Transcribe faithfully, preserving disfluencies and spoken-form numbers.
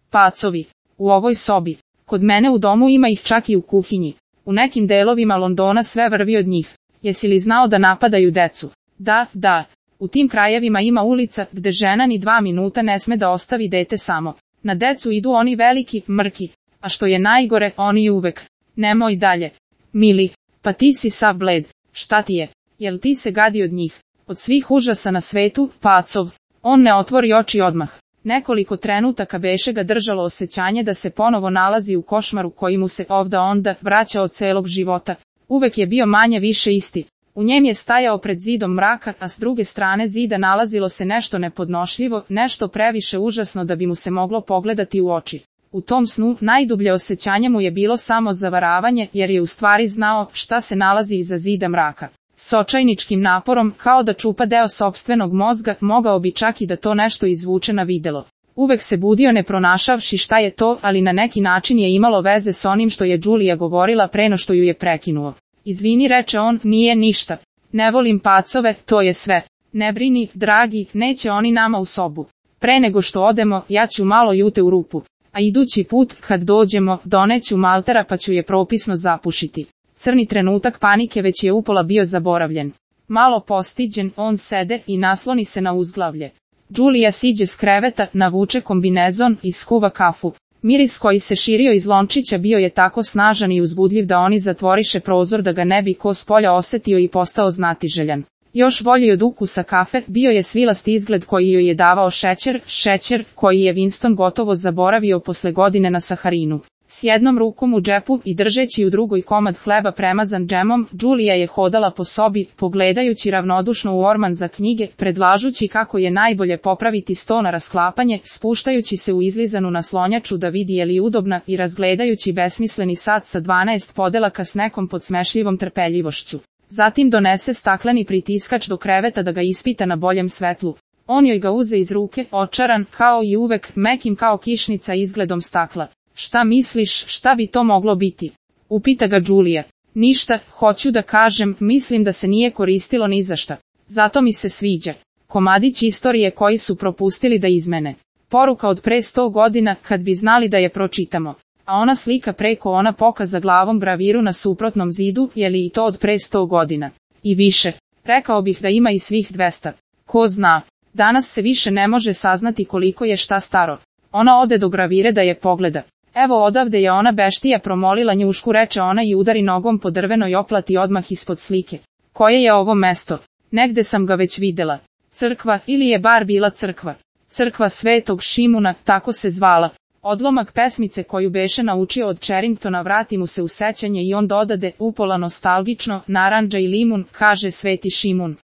Pacovi. U ovoj sobi. Kod mene u domu ima ih čak i u kuhinji. U nekim delovima Londona sve vrvi od njih. Jesi li znao da napadaju decu? Da, da. U tim krajevima ima ulica gde žena ni dva minuta ne sme da ostavi dete samo. Na decu idu oni veliki, mrki. A što je najgore, oni uvek. Nemoj dalje. Mili, pa ti si sav bled. Šta ti je? Jel ti se gadi od njih? Od svih užasa na svetu, Pacov. On ne otvori oči odmah. Nekoliko trenutaka beše ga držalo osjećanje da se ponovo nalazi u košmaru koji mu se ovda onda vraća od celog života. Uvek je bio manje više isti. U njem je stajao pred zidom mraka, a s druge strane zida nalazilo se nešto nepodnošljivo, nešto previše užasno da bi mu se moglo pogledati u oči. U tom snu najdublje osjećanje mu je bilo samo zavaravanje, jer je u stvari znao šta se nalazi iza zida mraka. S očajničkim naporom, kao da čupa deo sopstvenog mozga, mogao bi čak i da to nešto izvuče na videlo. Uvek se budio ne pronašavši šta je to, ali na neki način je imalo veze s onim što je Đulija govorila pre no što ju je prekinuo. Izvini, reče on, nije ništa. Ne volim pacove, to je sve. Ne brini, dragi, neće oni nama u sobu. Pre nego što odemo, ja ću malo jute u rupu. A idući put, kad dođemo, doneću maltera pa ću je propisno zapušiti. Crni trenutak panike već je upola bio zaboravljen. Malo postiđen, on sede i nasloni se na uzglavlje. Đulija siđe s kreveta, navuče kombinezon i skuva kafu. Miris koji se širio iz lončića bio je tako snažan i uzbudljiv da oni zatvoriše prozor da ga ne bi ko spolja osetio i postao znatiželjan. Još bolji od ukusa kafe bio je svilasti izgled koji joj je davao šećer, šećer koji je Winston gotovo zaboravio posle godine na Saharinu. S jednom rukom u džepu i držeći u drugoj komad hleba premazan džemom, Đulija je hodala po sobi, pogledajući ravnodušno u orman za knjige, predlažući kako je najbolje popraviti sto na rasklapanje, spuštajući se u izlizanu naslonjaču da vidi je li udobna i razgledajući besmisleni sat sa dvanaest podelaka s nekom podsmešljivom trpeljivošću. Zatim donese stakleni pritiskač do kreveta da ga ispita na boljem svetlu. On joj ga uze iz ruke, očaran, kao i uvek, mekim kao kišnica izgledom stakla. Šta misliš, šta bi to moglo biti? Upita ga Đulija. Ništa, hoću da kažem, mislim da se nije koristilo ni za šta. Zato mi se sviđa. Komadić istorije koji su propustili da izmene. Poruka od pre sto godina, kad bi znali da je pročitamo. A ona slika preko ona pokaza glavom braviru na suprotnom zidu, je li i to od pre sto godina? I više. Rekao bih da ima i svih dvesta. Ko zna. Danas se više ne može saznati koliko je šta staro. Ona ode do gravire da je pogleda. Evo odavde je ona beštija promolila njušku, reče ona i udari nogom po drvenoj oplati odmah ispod slike. Koje je ovo mesto? Negde sam ga već videla. Crkva, ili je bar bila crkva. Crkva Svetog Šimuna, tako se zvala. Odlomak pesmice koju beše naučio od Charringtona vrati mu se u sećanje i on dodade, upola nostalgično, narandža i limun, kaže Sveti Šimun.